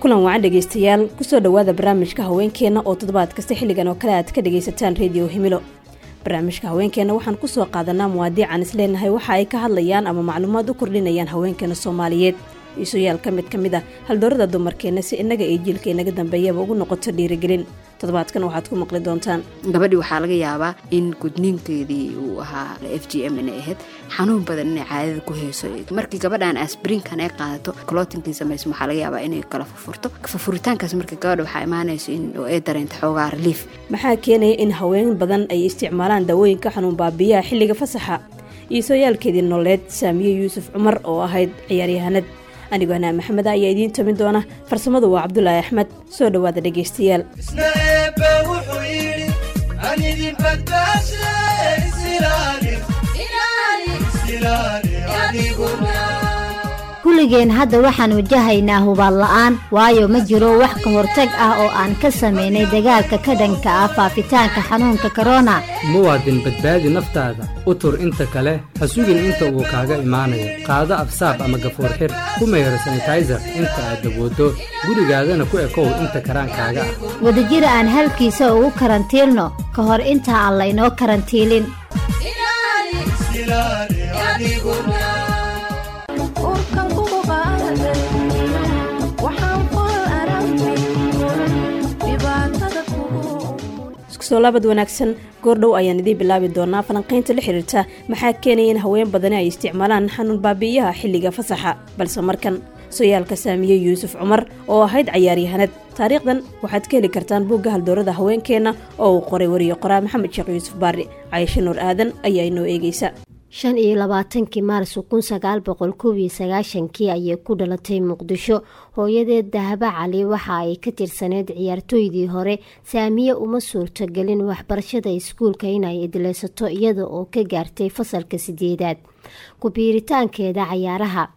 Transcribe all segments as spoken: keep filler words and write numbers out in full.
Kulan wacan dhegeystayaal, kusoo dhawaada barnaamijka haweenkeena oo toddobaad kasta xilligan oo kale aad ka dhegaysataan Radio Himilo. Barnaamijka haweenkeena waxaan kusoo qaadanaa muwaadiican isleenahay waxa ay ka hadlayaan ama macluumaad u kordhinayaan haweenkeena Soomaaliyeed. Isuyaal ka mid ka mid ah haldoorada dumarkeena si inaga iyo jiilka inaga dambeeyaba ugu noqoto dhiirigelin. Toddobaadkan waxaad ku maqli doontaan gabadhii waxaa laga yaabaa in gudniinkeedii uu ahaa F G M inay ahayd, xanuun badan inay caadada ku hayso. Markii gabadhan aspirinkan ay qaadato, clottingkii samayso, waxaa laga yaabaa inay kala furfurto. Furfuritaankaas marka gabadha waxaa imaanayso in ay dareento xoogaa relief. Maxaa keenaya in haween badan ay isticmaalaan daawooyinka xanuun baabi'iyaha xilliga fasaxa? Iisooyaalkeedii nololeed Saamiye Yuusuf Cumar oo ahayd ciyaaryahanad. Anigoo Hanaa Maxamed ayaa idiin tamin doona. Farsamadu waa Cabdulaahi Axmed. Soo dhawaada dhegeystayaal. Kulligeen hadda waxaan wajahaynaa hubaal la'aan, waayo ma jiro wax ka hortag ah oo aan ka sameynay dagaalka ka dhanka ah faafitaanka xanuunka korona. Muwaadin, badbaadi naftaada, u tur inta kale, ha sugin inta uu kaaga imaanayo. Qaado afsaab ama gafuur xir, ku mayro sanitizer inta aad dabooddo, gurigaadana ku ekow inta karaankaaga ah. Wadajir aan halkiisa ugu karantiilno ka hor inta aan laynoo karantiilin. Soo laabad wanaagsan, goordhow ayaan idiin bilaabi doonaa falanqaynta la xiriirta maxaa keenaya in haween badani ay isticmaalaan xanuun baabi'iyaha xilliga fasaxa. Balse markan sooyaalka Saamiye Yuusuf Cumar oo ahayd cayaaryahanad. Taariikhdan waxaad ka heli kartaan buugga haldoorada haweenkeena oo uu qoray wariye qoraa Maxamed Sheekh Yuusuf Baari. Cayshe Nuur Aadan ayaa inoo eegeysa. Shan iyo labaatankii Maarso kun sagaal boqol kow iyo sagaashankii ayay ku dhalatay Muqdisho. Hooyadeed Dahaba Cali waxa ay ka tirsaneyd ciyaartooydii hore. Saamiye uma suurtagelin waxbarashada iskuulka inay idleysato iyada oo ka gaartay fasalka sideedaad. Ku biiritaankeeda cayaaraha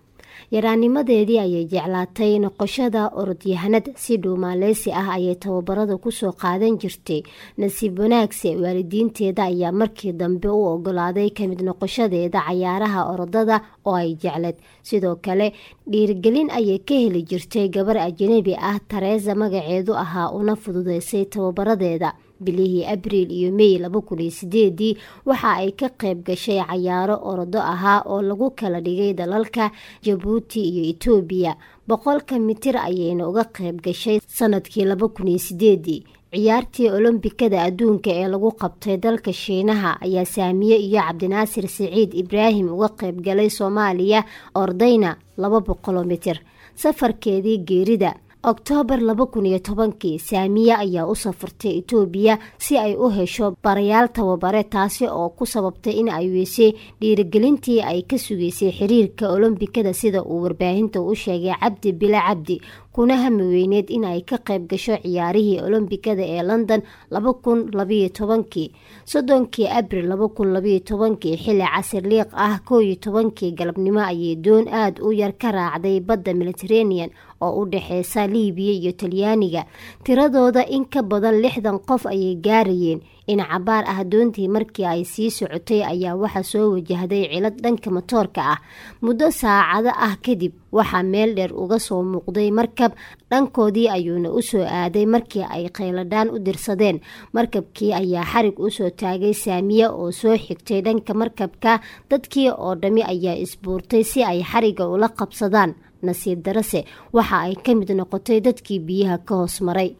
yaraanimadeedii ayay jeclaatay noqoshada orodyahanad. Si dhuumaaleysi ah ayay tababarada kusoo qaadan jirtay. Nasiib wanaagse waalidiinteeda ayaa markii dambe u ogolaaday kamid noqoshadeeda cayaaraha orodada oo ay jecleed. Sidoo kale dhiirigelin ayay ka heli jirtay gabar ajnabi ah, Teresa magaceedu ahaa, una fududeysay tababaradeeda. Bilihii Abriil iyo May laba kun iyo sideedii waxa ay ka qayb gashay cayaaro orodo ahaa oo lagu kala dhigay dalalka Jabuuti iyo Itoobiya. Boqolka mitir ayayna uga qayb gashay sanadkii laba kun iyo sideedii. Ciyaartii Olombikada adduunka ee lagu qabtay dalka Shiinaha ayaa Saamiye iyo Cabdinaasir Siciid Ibraahim uga qayb galay Soomaaliya, ordayna laba boqol mitir. Safarkeedii geerida Oktoobar laba kun iyo tobankii Saamiye ayaa u safartay Itoobiya si ay u hesho barayaal tababare, taasi oo ku sababtay in ay weysay dhiirigelintii ay ka sugeysay xiriirka Olombikada, sida uu warbaahinta u sheegay Cabdi Bila Cabdi, kuna hami weyneed in ay ka qayb gasho ciyaarihii Olombikada ee London laba kun labiyo tobankii. Soddonkii Abriil laba kun labiyo tobankii xilli casir liiq ah kow iyo tobankii galabnimo ayay doon aad u yar ka raacday badda Mediterranean oo u dhexeysa Liibiya iyo Talyaaniga. Tiradooda in ka badan lixdan qof ayay gaarayeen. In cabaar ah doontii markii ay sii socotay ayaa waxa soo wajahday cilad dhanka matoorka ah. Muddo saacado ah kadib waxaa meel dheer uga soo muuqday markab, dhankoodii ayuuna u soo aaday markii ay qayladhaan u dirsadeen. Markabkii ayaa xarig u soo taagay Saamiye oo soo xigtay dhanka markabka. Dadkii oo dhami ayaa isbuurtay si ay xariga ula qabsadaan. Nasiib darase waxa ay ka mid noqotay dadkii biyaha ka hoos maray.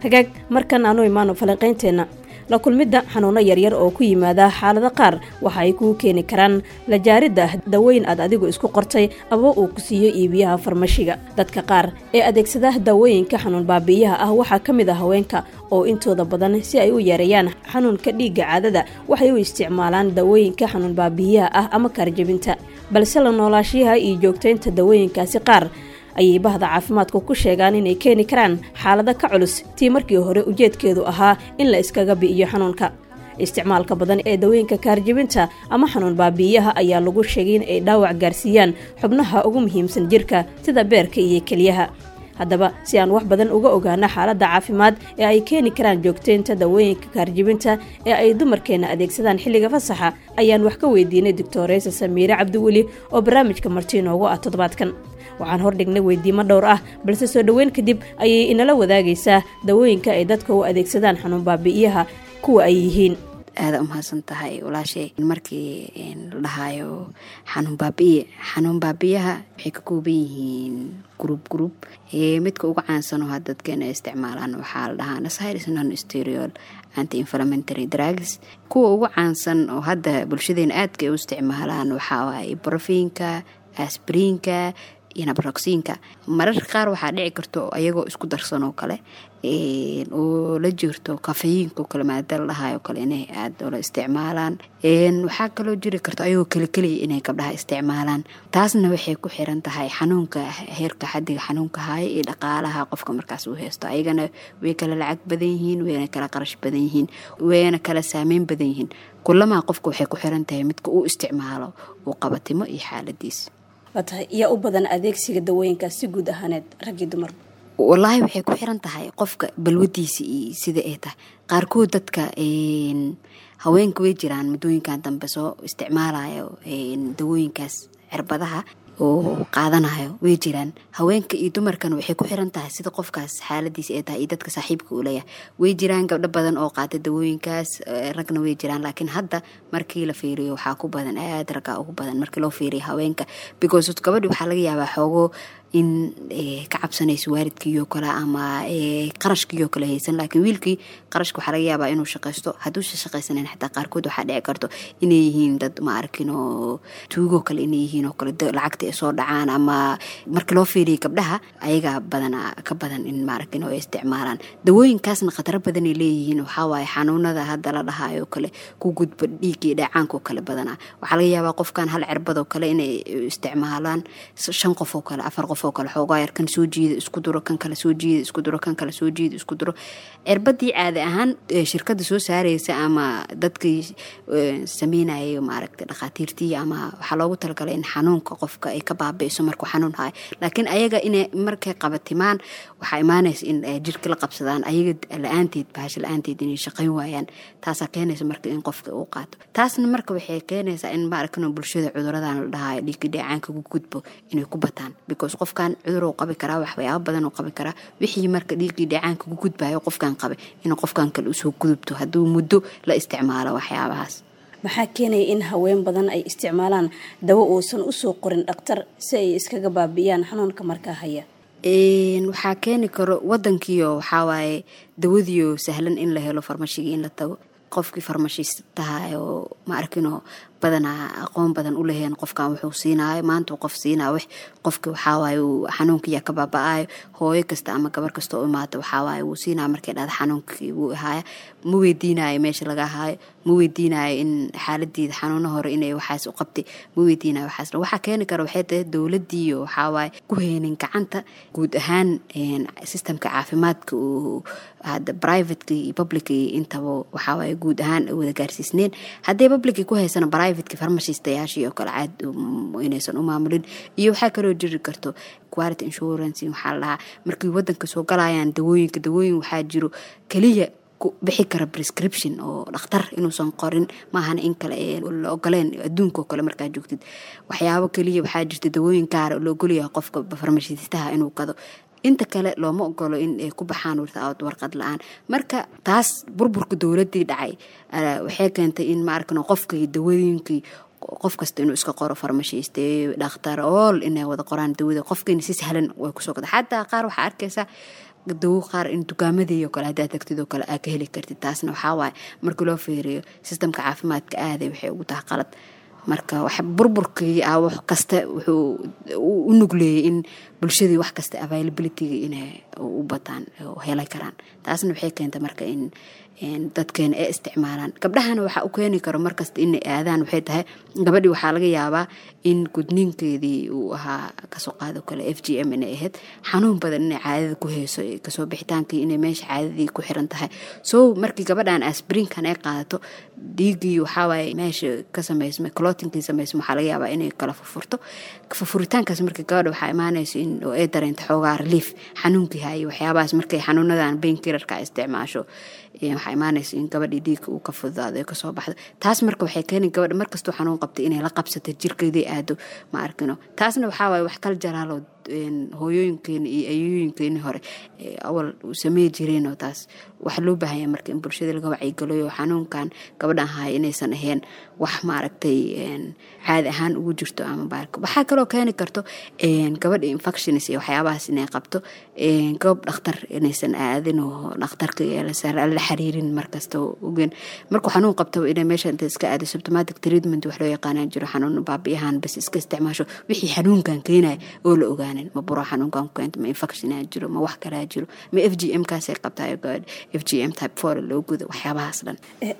Hagaag, markan aanu imaano falanqaynteena. La kulmidda xanuuno yaryar oo ku yimaada xaalado qaar waxa ay kuu keeni karaan la jaaridda dawooyin aad adigu isku qortay ama uu ku siiyo iibiyaha farmashiga. Dadka qaar ee adeegsada dawooyinka xanuun baabi'iyaha ah waxaa ka mid ah haweenka oo intooda badan si ay u yareeyaan xanuunka dhiigga caadada waxay u isticmaalaan dawooyinka xanuun baabi'iyaha ah ama kaarjabinta. Balse la noolaashiyaha iyo joogtaynta dawooyinkaasi qaar ayay bahda caafimaadku ku sheegaan inay keeni karaan xaalado ka culus tii markii hore ujeedkeedu ahaa in la iskaga bi'iyo xanuunka. Isticmaalka badan ee dawooyinka kaarjabinta ama xanuun baabi'iyaha ayaa lagu sheegay in ay dhaawac gaarsiiyaan xubnaha ugu muhiimsan jirka sida beerka iyo kelyaha. Haddaba, si aan wax badan uga ogaano xaaladda caafimaad ee ay keeni karaan joogteynta dawooyinka kaarjibinta ee ay dumarkeena adeegsadaan xilliga fasaxa, ayaan wax ka weydiinay Doctoreysa Samiire Cabdiweli oo barnaamijka marti inoogu ah toddobaadkan. Waxaan hordhignay weydiimo dhowr ah, balse soo dhoweyn kadib ayay inala wadaagaysaa dawooyinka ay dadka u adeegsadaan xanuun baabi'iyaha kuwa ay yihiin. Aada umahadsan tahay, walaashay. Markii la dhahayo xanuun baabi'iye, xanuun baabi'iyaha waxay ka kooban yihiin group group. Midka ugu caansan oo had dadkeena ay isticmaalaan waxaa la dhahaa N S A I Ds, non steroid anti inflammatory drugs. Kuwa ugu caansan oo hadda bulshadeena aadka ay u isticmaalaan waxaa waaye ibuprofen-ka, aspirin-ka iyo naproxen-ka. Mararka qaar waxaa dhici karto ayagoo isku darsan oo kale oo la jirto caffeine-ka oo kale, maada la dhahayo kale, inay aada ula isticmaalaan. Waxaa kaloo jiri karto ayagoo keli keliya inay gabdhaha isticmaalaan. Taasna waxay ku xiran tahay xanuunka, heerka xadiga xanuunka haya iyo dhaqaalaha qofka markaas uu haysto. Ayagana way kala lacag badan yihiin, wayna kala qarash badan yihiin, wayna kala saameyn badan yihiin. Kulamaa qofka waxay ku xiran tahay midka uu isticmaalo uu qabatimo iyo xaaladiis. Waa tahay, yaa u badan adeegsiga dawooyinkaas si guud ahaaneed, rag iyo dumar? Wallaahi, waxay ku xiran tahay qofka balwadiisa iyo sida ay tahay. Qaarkood dadka haweenka way jiraan muddooyinkan dambe soo isticmaalayo dawooyinkaas cirbadaha oo qaadanayo, way jiraan. Haweenka iyo dumarkana waxay ku xiran tahay sida qofkaas xaaladiisa ay tahay iyo dadka saaxiibka uu leeyahay. Way jiraan gabdho badan oo qaata dawooyinkaas, ragna way jiraan, laakiin hadda markii la fiiriyo waxaa ku badan aad raggaa ugu badan markii loo fiiriyo haweenka, because gabadhi waxaa laga yaabaa xoogo in ka cabsanayso waalidkiiyoo kale ama qarashkiiyoo kale haysan, laakiin wiilkii qarashka waxaa laga yaabaa inuu shaqaysto. Hadduusa shaqaysanan xataa qaarkood waxaa dhici karto inay yihiin dad, ma arkin, oo tuugoo kale inay yihiin oo kale, lacagta ay soo dhacaan. Ama marka loo fiiriyo gabdhaha, ayagaa badanaa ka badan in, ma arkin, oo ay isticmaalaan dawooyinkaasna. Khataro badanay leeyihiin. Waxaa waaye xanuunada hadda la dhahayo kale ku gudba dhiigii dheecaanka oo kale badanaa waxaa laga yaabaa qofkan hal cirbadoo kale inay isticmaalaan shan qof oo kale, afar qof oo kale. Xoogaa yar kan soo jiida, isku duro, kan kale soo jiida, isku duro, kan kale soo jiida, isku duro. Cirbadii caadi ahaan shirkada soo saareysa ama dadkii sameynayay, maaragtay, dhakhaatiirtii ama waxaa loogu talagalay in xanuunka qofka ay ka baabi'iso markuu xanuun hayo, laakiin ayaga inay markay qabatimaan waxaa imaanaysa in jirka la qabsadaan, ayaga la-aanteed, bahasha la-aanteed inay shaqayn waayaan. Taasaa keenaysa marka in qofka uu qaato. Taasna marka waxay keenaysaa in, maaragtay, bulshada cuduradan la dhahayo dhiigga dheecaanka ku gudbo inay ku bataan, because qofkan cudur uu qabi karaa, waxyaabo badan uu qabi karaa. Wixii marka dhiiggii dheecaanka ku gudbayo qofkan qabay inuu qofkan kale usoo gudubto hadduu muddo la isticmaalo waxyaabahaas. Maxaa keenaya in haween badan ay isticmaalaan dawo uusan usoo qorin dhakhtar si ay iskaga baabi'iyaan xanuunka markaa haya? Waxaa keeni karo wadankiio waxawaaye dawadiio sahlan in la helo, farmashigii in la tago, qofkii farmashiistaha oo, ma arkinoo, badanaa aqoon badan u laheen qofkan wuxuu siinaayo. Maanta qof siinaayo wax qofki waxawaaye xanuunkiyaa ka baaba-ayo. Hooyo kasta ama gabar kasta oo imaata waxawaaye wuu siinaya. Markay dhahda xanuunkii wuu ahaaya, ma weydiinayo meesha laga haayo, ma weydiinayo in xaaladeeda xanuuno hore inay waxaas u qabtay, ma weydiinayo waxaas. Waxaa keeni kara waxay tahay dowladiiyo waxawaaye ku heynin gacanta guud ahaan system-ka caafimaadka uu hadda private-ka iyo public intaba waxawaaye guud ahaan wada gaarsiisneen. Haddii public ku haysana, private-ka farmashiistayaashii oo kale caad inaysan u maamulin. Iyo waxaa kaloo jiri karto quality insurance waxaa la dhahaa markii wadanka soo galayaan dawooyinka. Dawooyin waxaa jiro keliya ku bixi kara prescription oo dhakhtar inuusan qorin maahana in kale ee la ogoleen. Adduunka oo kale markaa joogtid, waxyaabo keliya waxaa jirta dawooyin gaara la ogolyahay qofka farmashiistaha inuu gado, inta kale looma ogolo in ay ku baxaan without warqad la-aan. Marka taas burburka dowladii dhacay waxay keentay in, ma arkano, qofkii dawooyinkii qof kasta inuu iska qoro, farmashiiste, dhakhtar, all inay wada qoraan dawada, qofkiina si sahlan way kusoo gada. Xataa qaar waxaa arkaysaa dawo qaar in dukaamadii oo kale haddaad tagtid oo kale aa ka heli kartid. Taasna waxaa waaye markii loo fiiriyo system-ka caafimaadka aaday waxay ugu tahay qalad. Marka wax burburkii ah wax kasta wuxuu u nugleeyay in bulshadii wax kasta availability-ga inay u bataan oo heli karaan. Taasna waxay keentay marka in dadkeena ay isticmaalaan. Gabdhahana waxaa u keeni karo markasta inay aadaan waxay tahay gabadhii waxaa laga yaabaa in gudniinkeedii uu ahaa, kasoo qaado kale, F G M inay ahayd, xanuun badan inay caadada ku hayso, kasoo bixitaankii inay meesha caadadii ku xiran tahay. So markii gabadhan aspirin-kan ay qaadato, dhiiggii waxawaaye meesha ka samaysmay, clotting-kii samaysmay, waxaa laga yaabaa inay kala furfurto. Furfuritaankaas markii gabadha waxaa imaanaysa in oo ay dareento xoogaa relief xanuunkii hayo waxyaabahaas. Markay xanuunadan painkillerka isticmaasho, waxaa imaanaysa in gabadhii dhiigga uu ka fududaado, ay kasoo baxdo. Taas marka waxay keeni gabadha markastuu xanuun qabtay inay la qabsato jirkeedii aado, ma arkino. Taasna waxaa waaye wax kal jaraalo hooyooyinkeeni iyo ayooyinkeeni hore awal samey jireen, oo taas waxaa loo baahanya marka in bulshada laga wacyigeliyo xanuunkan gabadhan haya inaysan ahayn wax maaragtay caadi ahaan ugu jirto ama baarka. Waxaa kaloo keeni karto gabadha infections iyo waxyaabahaas inay qabto, goob dhakhtar inaysan aadin oo dhakhtarka la xiriirin markasta ogen markuu xanuun qabto inay meesha inta iska aado. Symptomatic treatment wax loo yaqaanaa jiro, xanuun baabiyahan bas iska isticmaasho, wixii xanuunkan keenaya oo la ogaanin, ma buro xanuunkan ku keento, ma infection jiro, ma wax kalaa jiro, ma F G M kaasay qabtaa, F G M type four loo gudo, waxyaabahaas dhan.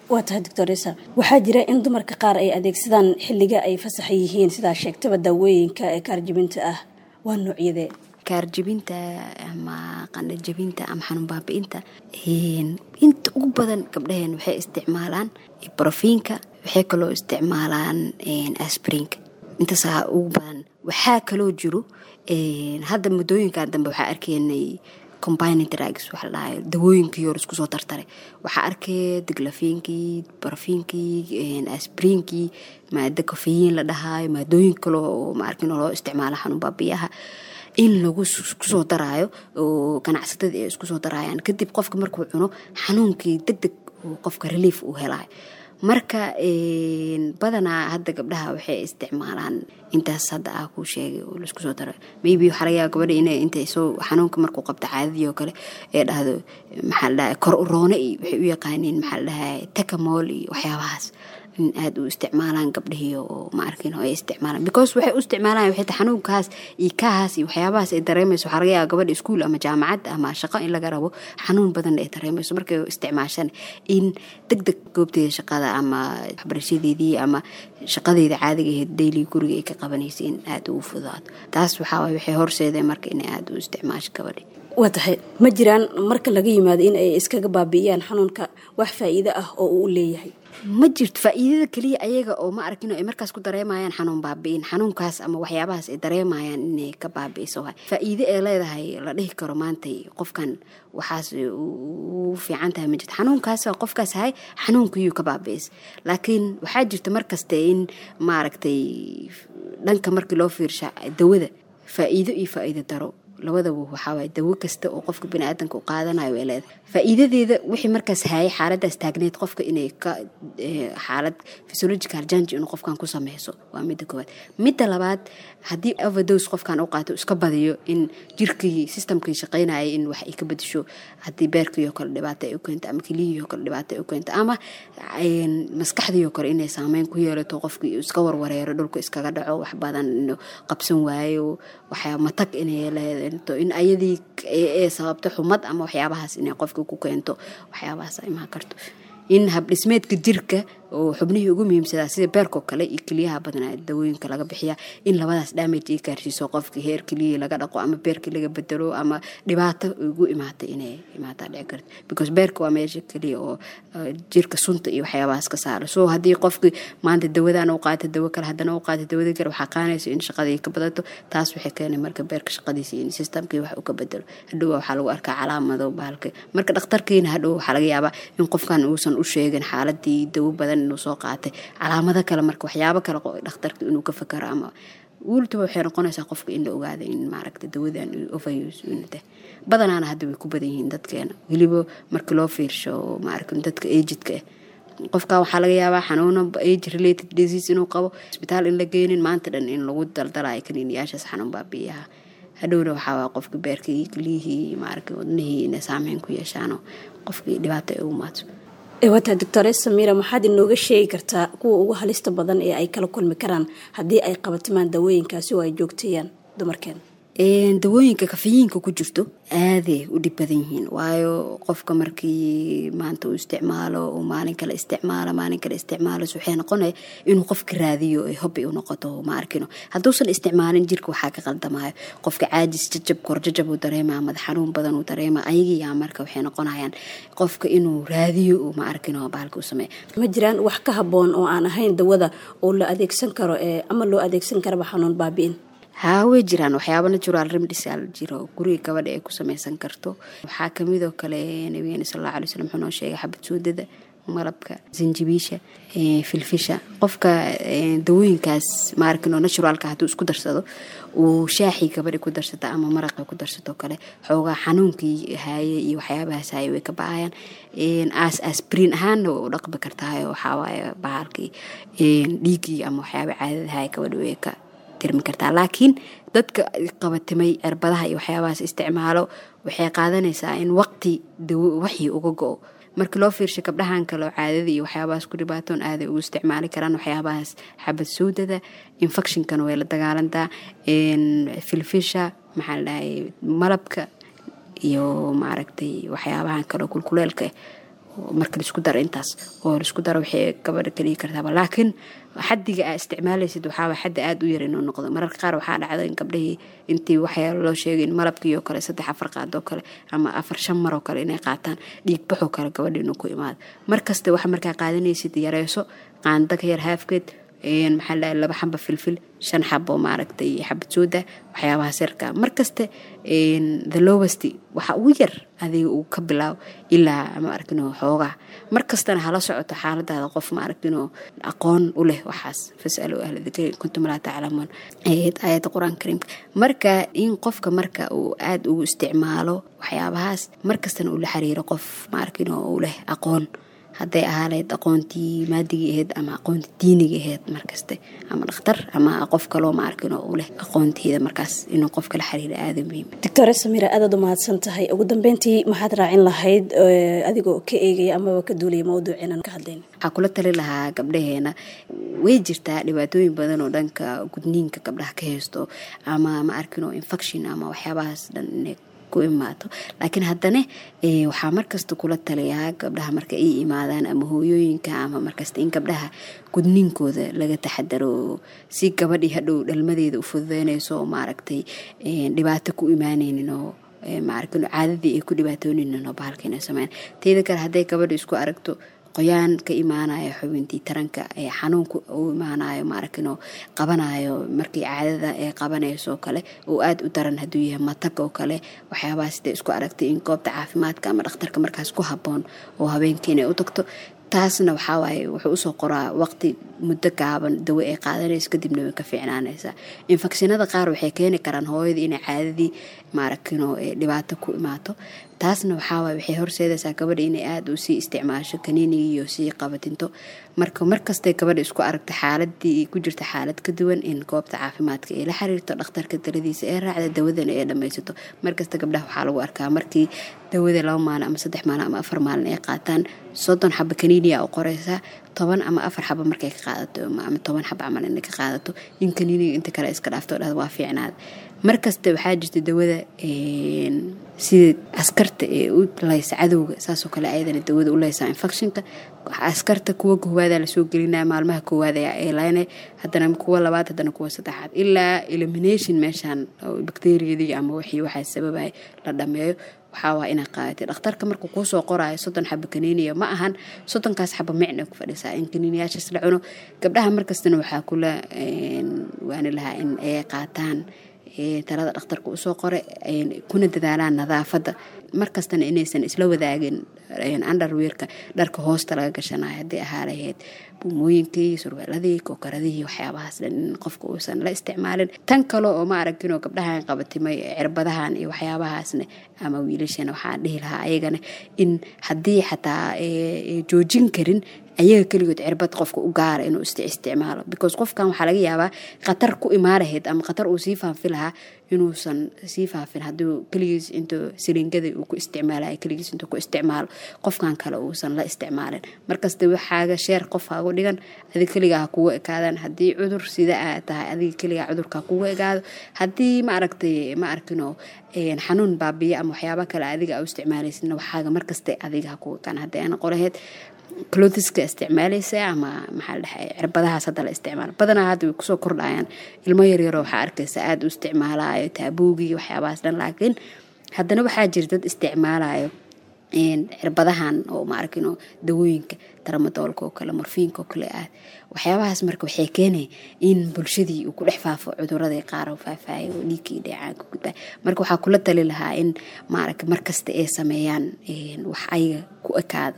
Waa tahay, doctoresa. Waxaa jira in dumarka qaar ay adeegsadaan xilliga ay fasaxa yihiin, sidaa sheegtaba, daawooyinka ee kaarjibinta ah. Waa noocyadee? Kaarjibinta ama qandhajabinta ama xanuun baabi'inta, inta ugu badan gabdhaheen waxay isticmaalaan brofenka, waxay kaloo isticmaalaan aspirinka, intaasaa ugu badan. Waxaa kaloo jiro hadda muddooyinkan dambe waxaa arkaynay combining drugs waxa la dhahayo, dawooyinkii hore isku soo tartaray. Waxaa arkay diclofenackii, brofenkii, aspirinkii, maado caffeine la dhahaayo, maadooyin kale oo maarkin loo isticmaalo xanuun baabiyaha in lagu kusoo daraayo oo ganacsatada ay isku soo daraayaan. Kadib qofka markuu cuno xanuunkii deg deg qofka relief uu helayo. Marka badanaa hadda gabdhaha waxay isticmaalaan intaas hadda ah kuu sheegay oo laisku soo daro. Maybe waxaa laga yaaba gabadha inay intay soo xanuunka markuu qabto caadadii oo kale ee dhahdo, maxaa la dhahay, kor uroone iyo waxay u yaqaaniin, maxaa la dhahay, tacamol iyo waxyaabahaas in aada u isticmaalaan gabdhihii oo ma arkin oo ay isticmaalaan, because waxay u isticmaalaan waxay tahay xanuunkaas iyo kahaas iyo waxyaabahaas ay dareemayso. Waxaa laga yaaba gabadha iskuul ama jaamacad ama shaqo in laga rabo, xanuun badan ay dareemayso, markay isticmaashaan in deg deg goobteeda shaqada ama waxbarashadeedii ama shaqadeeda caadiga ahayd daily guriga ay ka qabanaysa in aada ugu fududaato. Taas waxaa waay waxay horseedeen marka inay aada u isticmaasho gabadhi. Waa tahay. Ma jiraan, marka laga yimaado in ay iskaga baabi'iyaan xanuunka, wax faa'iido ah oo uu leeyahay? Ma jirto. Faa'iidada keliya ayaga oo ma arkin ay markaas ku dareemayaan xanuun baabi'in, xanuunkaas ama waxyaabahaas ay dareemayaan inay ka baabi'iso waay. Faa'iido ee leedahay la dhihi karo maantay qofkan waxaas u fiican tahay ma jirto. Xanuunkaas qofkaas hay xanuunkiyuu ka baabi'is, laakiin waxaa jirta markaste in maaragtay dhanka markii loo fiirsha dawada faa'iido iyo faa'iido daro labadaba. Waxaa waaye dawo kasta oo qofka biniaadanka u qaadanayo way leedahay faa'iidadeeda, wixii markaas hayay xaaladaas taagneyd qofka inay ka xaalad physiological change inuu qofkan ku sameyso, waa midda koowaad. Midda labaad, haddii overdose qofkan u qaato, iska badiyo, in jirkii systemkii shaqaynayay in wax ay ka bedesho, haddii beerkii oo kale dhibaato ay u keento ama keliyihii oo kale dhibaato ay u keento ama maskaxdii oo kale inay saameyn ku yeelato, qofkii iska warwareero, dhulka iskaga dhaco, wax badan inuu qabsan waayo, waxyaa matag inay leedahay, in ayadii ee sababto xumad ama waxyaabahaas inay qofka ku keento, waxyaabahaas imaan karto in habdhismeedka jirka oo xubnihii ugu muhiimsadaa sida beerkoo kale iyo keliyaha badanaa dawooyinka laga bixiya in labadaas damage ay gaarsiiso qofkii, heer keliyihii laga dhaqo ama beerkii laga bedelo ama dhibaato ugu imaata inay imaataa dhici karto, because beerka waa meesha keliya oo jirka sunta iyo waxyaabahaas ka saaro. So haddii qofkii maanta dawadan u qaato, dawo kale haddana u qaato, dawada kale, waxaa qaanaysa in shaqadii ka badato. Taas waxay keenay marka beerka shaqadiisa in systemkii wax uu ka bedelo. Hadhow waxaa lagu arkaa calaamado bahalka. Marka dhakhtarkiina hadhow waxaa laga yaabaa in qofkan uusan u sheegin xaaladii dawo badan inuu soo qaatay, calaamado kale, marka waxyaabo kale dhakhtarka inuu ka fakaro ama wultuba waxay noqonaysaa qofka in la ogaado in maaragta dawadan overuse inuu tahay. Badanaana hadda way ku badan yihiin dadkeena, weliba marka loo fiirsho maaragta dadka agedka ah. Qofka waxaa laga yaabaa xanuuno age related disease inuu qabo, isbitaal in la geynin, maanta dhan in lagu daldalayo kaniiniyaashaas xanuun baabi'iyaha. Hadhowna waxaa waa qofka beerkii, keliyihii, maaragta wadnihii inay saameyn ku yeeshaanoo qofkii dhibaato ay ugu maato. Wataa, doctore Samiira, maxaad inooga sheegi kartaa kuwa ugu halista badan ee ay kala kulmi karaan haddii ay qabatimaan dawooyinkaasi oo ay joogteeyaan dumarkeena? Dawooyinka caffeineka ku jirto aaday u dhib badan yihiin, waayo qofka markii maanta uu isticmaalo, uu maalin kale isticmaalo, maalin kale isticmaalo, waxay noqonaya inuu qofka raadiyo ay hobby u noqoto, ma arkino. Hadduusan isticmaalin jirka waxaa ka qaldamayo, qofka caajis, jajab, korjajab uu dareemaa, madax xanuun badan uu dareemaa. Ayagiyaa marka waxay noqonayaan qofka inuu raadiyo, ma arkino, bahalka u sameeya. Ma jiraan wax ka habboon oo aan ahayn dawada oo la adeegsan karo ama loo adeegsan karaba xanuun baabi'in? Haa, way jiraan waxyaaba natural remedies aa jiro guriga gabadha ay ku sameysan karto. Waxaa kamid oo kale nabigeena sal allahu alay wasalam wuxuu noo sheegay xabad suudada, malabka, sanjabiisha, filfisha. Qofka dawooyinkaas maarkino naturalka hadduu isku darsado, uu shaaxii gabadha ku darsata ama maraqa ku darsato kale, xoogaa xanuunkii haaye iyo waxyaabahaas haaye way ka ba-ayaan. Aas aspirin ahaanna way u dhaqmi kartahay. Waxawaaye bahalkii dhiiggii ama waxyaaba caadada haaye gabadha way ka tirmi kartaa. Laakiin dadka qabatimay cirbadaha iyo waxyaabahaas isticmaalo, waxay qaadanaysaa in waqti dawo waxii uga go-o. Marka loo fiirsho gabdhahan kale oo caadada iyo waxyaabahaas ku dhibaatoon, aaday ugu isticmaali karaan waxyaabahaas. Xabad suudada infectionkana way la dagaalantaa, filfisha, maxaa la dhahay, malabka iyo maaragtay waxyaabahan kaleo kulkuleelka. Marka laisku daro intaas oo laisku daro, waxay gabadha ka dhigi kartaaba. Laakiin xadiga aa isticmaalaysid waxaaba xaddi aada u yar inuu noqdo. Mararka qaar waxaa dhacda in gabdhihii intii waxyaalo loo sheegay in malabkii oo kale saddex afar qaadoo kale ama afar shan mar oo kale inay qaataan, dhiigbaxoo kale gabadha inuu ku imaado. Markasta waxa markaa qaadanaysid yareyso, qaanda ka yar haafkeed, maxaa la, laba xaba filfil, shan xabo maaragtay xabad sooda, waxyaabaha sirka. Markasta the lowest, waxa ugu yar adiga uu ka bilaabo ilaa ma aragtino xoogaa. Markastana hala socoto xaaladaada qof ma aragtino aqoon u leh waxaas. "Fasalu ahla dikri in kuntum laa taclamuun" aayadda Qur-aanka Kariimka. Marka in qofka marka uu aada ugu isticmaalo waxyaabahaas, markastana uu la xiriiro qof ma aragtino u leh aqoon, hadday ahaa lahayd aqoontii maadigii ahayd ama aqoontii diiniga ahayd, markaste ama dhakhtar ama qof kaloo ma arkin oo u leh aqoonteeda, markaas inuu qofka la xiriiro aada muhiim. Doctor Samira, aadaad u mahadsan tahay. Ugu dambeyntii, maxaad raacin lahayd adigoo ka eegaya amaba ka duulaya mawduuceenan ka hadlayn? Waxaa kula tali lahaa gabdhaheena, way jirtaa dhibaatooyin badan oo dhanka gudniinka gabdhaha ka haysto ama ma arkin oo infection ama waxyaabahaas dhan inay ku imaato. Laakiin haddana waxaa markasta kula taliyaa gabdhaha marka ay imaadaan ama hooyooyinka ama markasta in gabdhaha gudniinkooda laga taxadaro, si gabadhii hadhow dhalmadeeda u fududeynayso oo maaragtay dhibaato ku imaaneynin oo maaragtay caadadii ay ku dhibaatooneynin oo bahalka inay sameyn. Teeda kale, hadday gabadha isku aragto qoyaan ka imaanayo xubintii taranka ee xanuunka u imaanayo, maaragtay qabanayo markii caadada ay qabanayso oo kale, oo aada u daran hadduu yahay matag oo kale, waxyaabahaas siday isku aragtay, in goobta caafimaadka ama dhakhtarka markaas ku habboon oo habeenkii inay u tagto. Taasna waxaa waaye wuxuu usoo qoraa waqti muddo gaaban dawo ay qaadanayso, kadibna way ka fiicnaanaysaa. Infekshinada qaar waxay keeni karaan hooyadii inay caadadii maaragtino dhibaato ku imaato. Taasna waxaa waaye waxay horseedaysaa gabadha inay aada u sii isticmaasho kaniinigii iyo sii qabatinto. Marka markastay gabadha isku aragta xaaladii ku jirta xaalad ka duwan, in goobta caafimaadka ay la xiriirto, dhakhtarka taladiisa ee raacda, dawadana ay dhammaysato. Markasta gabdhaha waxaa lagu arkaa markii dawada laba maalin ama saddex maalin ama afar maalin ay qaataan, soddon xaba kaniiniya u qoreysaa, toban ama afar xaba markay ka qaadato ama toban xaba camal inay ka qaadato, in kaniiniga inta kale iska dhaafto, dhahda waa fiicnaada. Markasta waxaa jirta dawada sida askarta ee u laysa cadowga, saasoo kale ayadana dawada u laysaa infectionka. Askarta kuwa koowaada lasoo gelinaya maalmaha koowaad ee laynay, haddana kuwa labaad, haddana kuwa saddexaad, ilaa elimination meeshaan bacteriyadii ama wixii waxaa sababaya la dhameeyo. Waxaa waa inaa qaadatay dhakhtarka markuu kuusoo qoraayo soddon xaba kaniiniya, ma ahan soddonkaas xaba micna ku fadhisaa in kaniiniyaashaas la cuno. Gabdhaha markastana waxaa kula waani lahaa in ay qaataan talada dhakhtarka usoo qoray, kuna dadaalaan nadaafadda, markastana inaysan isla wadaagin underwearka, dharka hoosta laga gashanayo, haddii ahaa lahayd buumooyinkii, surweeladii, kookaradihii, waxyaabahaas dhan in qofka uusan la isticmaalin. Tan kale oo ma aragtinoo gabdhahan qabatimay cirbadahan iyo waxyaabahaasna ama wiilashana, waxaan dhihi lahaa ayagana in haddii xataa joojin karin ayaga keligood cirbad qofka u gaara inuu isticmaalo, because qofkan waxaa laga yaabaa khatar ku imaan lahayd ama khatar uu sii faafi lahaa inuusan sii faafin hadduu keligiis intuu siliingada uu ku isticmaalayo keligiis intuu ku isticmaalo, qofkan kale uusan la isticmaalin. Markasta waxaaga sheer qof hagu dhigan, adiga keligaa ha kugu ekaadaan. Haddii cudur sida aa tahay, adiga keligaa cudurka ha kugu ekaado. Haddii ma aragtay ma arkino xanuun baabiya ama waxyaaba kale adiga aa u isticmaalaysidna, waxaaga markasta adiga ha kugu ekaan, haddii aana qolaheyd clothiska isticmaalaysa ama maxaa la dhahay cirbadahaas hadda la isticmaalo. Badanaa hadda way kusoo kordhayaan, ilmo yaryaroo waxaa arkaysa aada u isticmaalayo taabuugii, waxyaabahaas dhan. Laakiin haddana waxaa jira dad isticmaalayo Cirbadahan oo ma arkino dawooyinka taramadoolka oo kale, morfiinka oo kale ah, waxyaabahaas marka waxay keenay in bulshadii uu ku dhex faafo cuduradii qaar oo faafaayo oo dhiigkii dheecaanka gudbaa. Marka waxaa kula tali lahaa in maaragta markasta ay sameeyaan wax ayaga ku ekaado,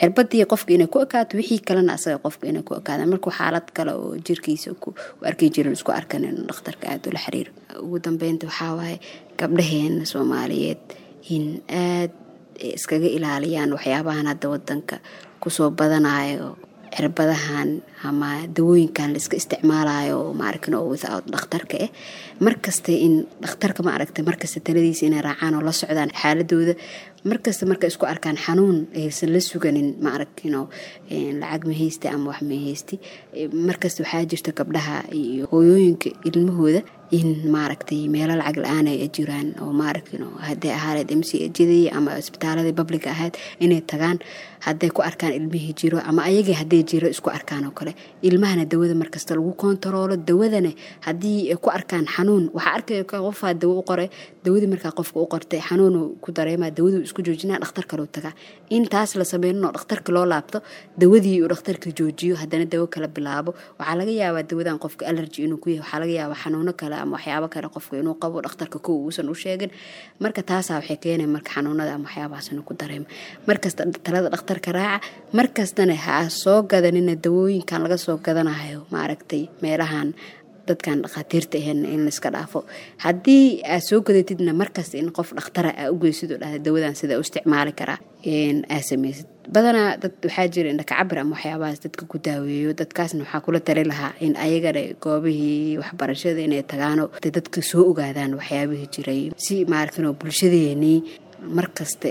cirbadii qofka inay ku ekaato, wixii kalena asaga qofka inay ku ekaadaan. Markuu xaalad kale oo jirkiisa ku arki jirin isku arkan, inuu dhakhtarka aada ula xiriiro. Ugu dambeynta waxaa waaye gabdhaheena Soomaaliyeed in aad iskaga ilaaliyaan waxyaabahan hadda wadanka kusoo badanayo, cirbadahan ama dawooyinkan la iska isticmaalayo maaragtin oo without dhakhtarka ah. Markasta in dhakhtarka ma aragta markasta taladiisa inay raacaan oo la socdaan xaaladooda markasta. Marka isku arkaan xanuun aysan la suganin, ma aragtino lacag ma haysti ama wax ma haysti. Markasta waxaa jirta gabdhaha iyo hooyooyinka ilmahooda in maaragtay meelo lacag la-aan ay jiraan oo maaragtino hadday ahaaneed M C H-dii ama isbitaaladii public-ga ahayd inay tagaan hadday ku arkaan ilmihii jiro ama ayagii hadday jiro isku arkaan oo kale. Ilmahana dawada markasta lagu kontaroolo. Dawadana haddii ay ku arkaan xanuun, waxaa arkaya qofaa dawo u qoray, dawadii markaa qofka u qortay xanuunu ku dareemaa, dawaduu isku joojinaa, dhakhtar kaleu tagaa. In taas la sameynin oo dhakhtarka loo laabto, dawadii uu dhakhtarka joojiyo, haddana dawo kala bilaabo. Waxaa laga yaabaa dawadan qofka allergy inuu ku yahay, waxaa laga yaabaa xanuuno kale ama waxyaabo kale qofka inuu qabo dhakhtarka kow uusan u sheegin. Marka taasaa waxay keenay marka xanuunada ama waxyaabahaas inuu ku dareemo. Markasta talada dhakhtarka raaca, markastana ha soo gadanina dawooyinkan laga soo gadanayo maaragtay meelahan dadkan dhakhaatiirta ahayn, in laiska dhaafo. Haddii aad soo gadatidna, markasta in qof dhakhtara aa u geysid oo dhahda dawadan sida u isticmaali karaa aa sameysid. Badanaa dad waxaa jira indhakacabir ama waxyaabahaas dadka ku daaweeyo. Dadkaasna waxaa kula tali lahaa in ayagana goobihii waxbarashada inay tagaano, dadka soo ogaadaan waxyaabihii jiray, si maaragtin oo bulshadeenii markasta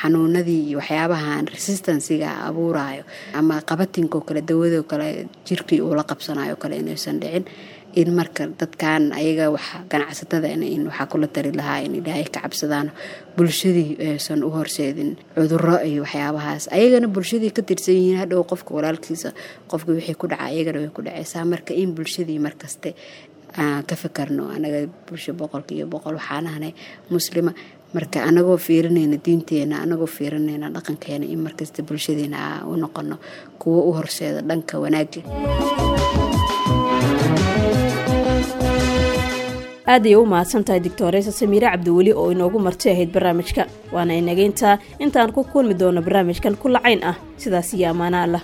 xanuunadii iyo waxyaabahan resistance-ga abuurayo ama qabatinko kale, dawadoo kale jirkii uu la qabsanayo kale inaysan dhicin. In marka dadkan ayaga wax ganacsatada in waxaa kula tali lahaa in Ilaahay ka cabsadaan, bulshadii aysan u horseedin cuduro iyo waxyaabahaas, ayagana bulshadii ka tirsan yihiin. Hadhow qofka walaalkiisa, qofka wixii ku dhaca ayagana way ku dhaceysaa. Marka in bulshadii markaste aan ka fikarno. Anaga bulsho boqolkiiba boqol waxaan ahnay Muslima. Marka anagoo fiirinayna diinteena, anagoo fiirinayna dhaqankeena, in markasta bulshadeena aa u noqono kuwo u horseeda dhanka wanaagga. Aad ayay u mahadsan tahay Doctoreysa Samiire Cabdiweli oo inoogu marti ahayd barnaamijka. Waana inageyntaa intaan ku kulmi doono barnaamijkan ku lacayn ah. Sidaas iyo ammaana Allah.